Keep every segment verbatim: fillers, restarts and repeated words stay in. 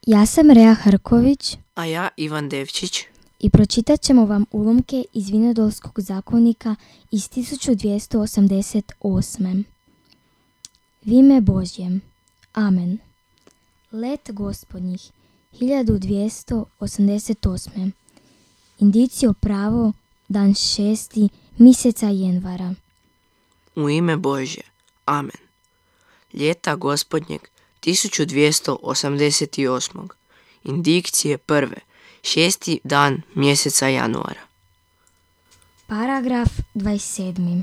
Ja sam Rea Hrković. A ja Ivan Devčić. I pročitat ćemo vam ulomke iz Vinodolskog zakonika iz tisuću dvjesto osamdeset osme. V ime Božjem. Amen. Let gospodnjih hiljadu dvjesto osamdeset osme. Indicio pravo, dan šesti, mjeseca jenvara. U ime Božje. Amen. Ljeta gospodnjeg tisuću dvjesto osamdeset osme. Indikcije prve, šesti dan mjeseca januara. Paragraf dvadeset sedmi.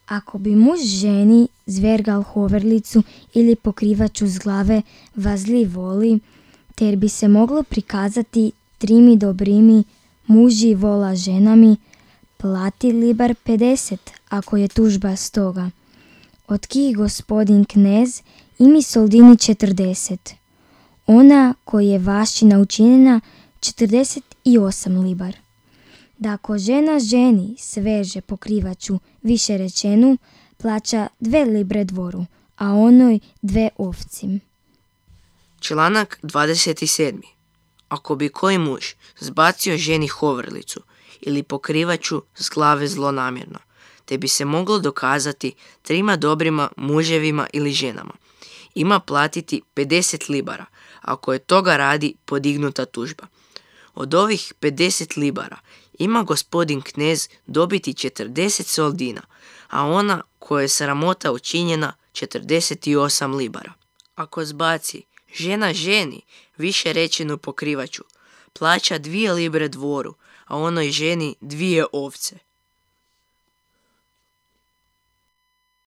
Ako bi muž ženi zvergal hoverlicu ili pokrivaču s glave vazli voli, ter bi se moglo prikazati trimi dobrimi muži vola ženami, plati libar pedeset ako je tužba stoga. Od kih gospodin knez imi soldini četrdeset. Ona koji je vašina učinjena četrdeset osam libar. Da ako žena ženi sveže pokrivaču više rečenu, plaća dve libre dvoru, a onoj dve ovci. Članak dvadeset sedmi. Ako bi koji muž zbacio ženi hoverlicu ili pokrivaču s glave zlonamjerno, te bi se moglo dokazati trima dobrima muževima ili ženama, ima platiti pedeset libara, ako je toga radi podignuta tužba. Od ovih pedeset libara ima gospodin knez dobiti četrdeset soldina, a ona koja je sramota učinjena četrdeset osam libara. Ako zbaci žena ženi više rečenu pokrivaču, plaća dvije libre dvoru, a onoj ženi dvije ovce.